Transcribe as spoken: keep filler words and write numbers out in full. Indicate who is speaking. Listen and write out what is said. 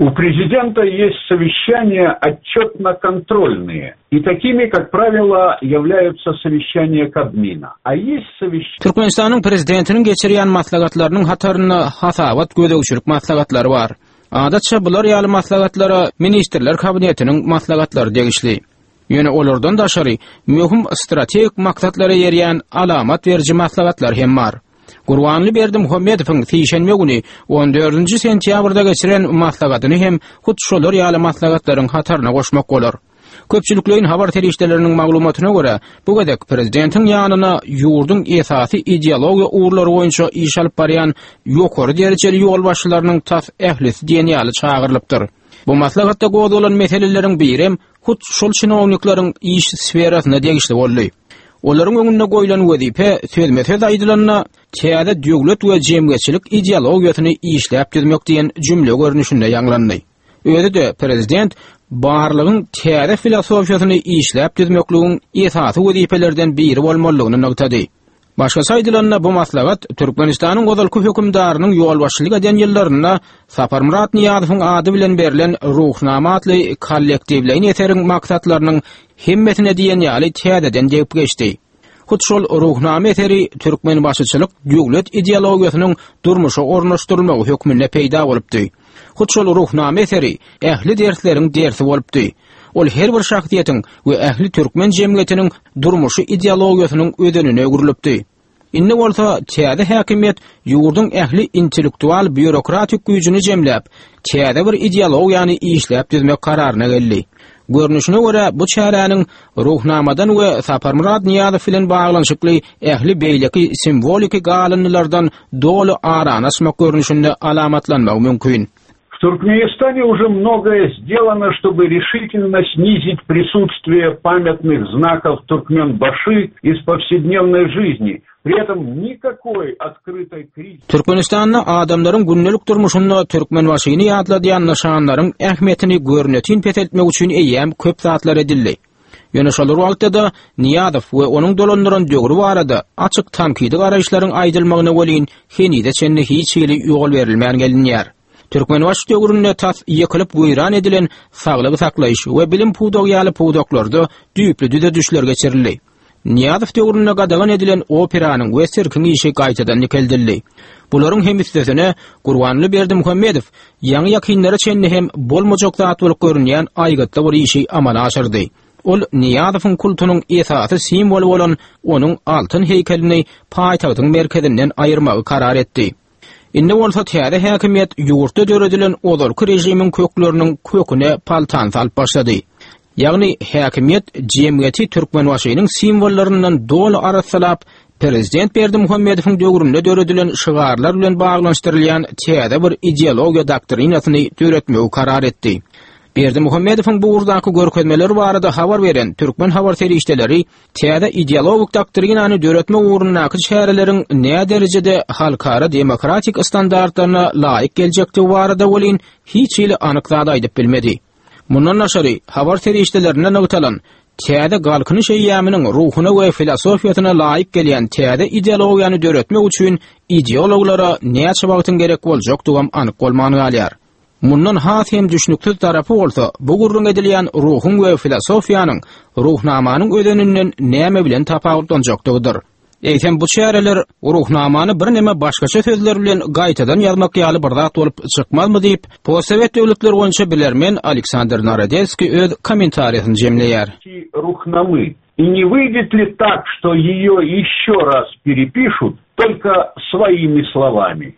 Speaker 1: У президента есть совещания отчетно-контрольные. И такими, как правило, являются совещания Кабмина. А есть совещания...
Speaker 2: Türkmenistanyň prezidentiniň geçirýän maslahatlarynyň hatarynda hasabat gözegçilik maslahatlary bar. Adatça bular ýaly maslahatlara ministrler kabinetiniň maslahatlary degişli. Ýöne olardan daşary möhüm strategik maksatlara ýerýän alamat beriji maslahatlar hem bar. Gurbanguly Berdimuhamedowyň sişenbe güni on dördünji sentýabrda geçiren maslahatyny hem hut şolar ýaly maslahatlaryň hataryna goşmak bolar. Köpçülikleýin habar serişdeleriniň maglumatyna görä, bu gezek prezidentiň ýanyna ýurduň esasy ideologiýa ugurlary boýunça iş alyp barýan ýokary derejeli ýolbaşçylarynyň tas ählisi diýen ýaly çagyrylypdyr. Bu maslahatda gozgalan meseleleriň biri hut şol çinownikleriň iş sferasyna degişli boldy. Olaryň öňünde goýlan wezipe sözme-söz aýdylanda täze döwlet we jemgyýetçilik ideologiýasyny işläp düzmek diýen jümle görnüşinde ýaňlandy. Özi-de prezident barlygyň täze filosofiýasyny işläp düzmekligiň esasy wezipelerden biri bolmalydygyny nygtady. Başgaça aýdylanda bu maslahat Türkmenistanyň ozalky hökümdarynyň ýolbaşçylyk eden ýyllarynda Saparmyrat Nyýazowyň ady bilen berlen Ruhnama atly kollektiwleýin eseriň maksatlarynyň hemmesine diýen ýaly täzeden degip geçdi. Hut şol Ruhnama eseri Türkmenbaşyçylyk döwlet ideologiýasynyň durmuşa ornaşdyrylmagy hökmünde peýda bolupdy. Hut şol Ruhnama eseri ähli dersleriň dersi bolupdy. Ol her bir şahsyýetiň we ähli türkmen jemgyýetiniň durmuşy ideologiýasynyň özenine öwrülipdi. Indi bolsa täze häkimiýet ýurduň ähli intellektual býurokratik güýjüni jemläp, täze bir ideologiýany işläp düzmek kararyna geldi. Görnüşine görä bu çäräniň Ruhnamadan we Saparmyrat Nyýazow bilen baglanyşykly ähli beýleki simwoliki galyndylardan doly arany açmak görnüşinde alamatlanmagy mümkin.
Speaker 1: В Туркменистане уже многое сделано, чтобы решительно снизить присутствие памятных знаков Туркменбаши из повседневной жизни. При этом никакой открытой критики.
Speaker 2: Türkmenistanda adamlaryň gündelik durmuşynda Türkmenbaşyny ýatladýan nyşanlaryň ähmiýetini görnetin peseltmek üçin eýýäm köp zatlar edildi. Ýöne şol wagtda-da Nyýazow we onuň dolandyran döwri barada açyk tankydy garaýyşlaryň aýdylmagyna welin henize çenli hiç hili ýol berilmän gelinýär. Türkmenbaşy döwründe tas ýykylyp weýran edilen saglygy saklaýyş we bilim pudagy ýaly pudaklarda düýpli düzedişler geçirildi. Nyýazow döwründe gadagan edilen operanyň we sirkiň işi gaýtadan dikeldildi. Bularyň hem üstesine Gurbanguly Berdimuhamedow ýaňy ýakynlara çenli hem bolmajak zat bolup görünýän aýgytly bir işi amala aşyrdy. Ol Nyýazowyň kultunyň esasy simwoly bolan onuň altyn heýkelini paýtagtyň merkezinden aýyrmagy karar etdi. Indi bolsa täze häkimiýet ýurtda döredilen ozalky režimiň kökleriniň köküne paltan salyp başlady. Ýagny häkimiýet jemgyýeti Türkmenbaşynyň simwollaryndan doly arassalap, prezident Berdimuhamedowyň döwründe döredilen şygarlar bilen baglanyşdyrylýan täze bir ideologiýa doktrinasyny döretmegi karar etdi. Berdimuhamedowyň bu ugurdaky görkezmeleri barada habar beren türkmen habar serişdeleri täze ideologik doktrinany döretme ugrundaky çäreleriň näme derejede halkara demokratik standartlaryna laýyk geljekdigi barada welin hiç hili anyk zat aýdyp bilmedi. Mundan daşary habar serişdelerine nygtalan täze Galkynyş eýýamynyň ruhuna we filosofiýasyna laýyk gelýän täze ideologiýany döretmek üçin ideologlara näçe wagtyň gerek boljakdygam anyk bolman galýar. Mundan has hem düşnüksiz tarapy bolsa, bu gürrüň edilýän ruhuň we filosofiýanyň ruhnamanyň özeninden näme bilen tapawutlanjakdygydyr. Eýsem bu çäreler ruhnamany birneme başgaça sözler bilen gaýtadan ýazmak ýaly bir zat bolup çykmazmy diýip, postsowet döwletleri boýunça bilermen Aleksandr Narodelskiý öz kommentariýasyny jemleýär.
Speaker 1: Ruhnamy. И не выйдет ли так, что ее еще раз перепишут, только своими словами?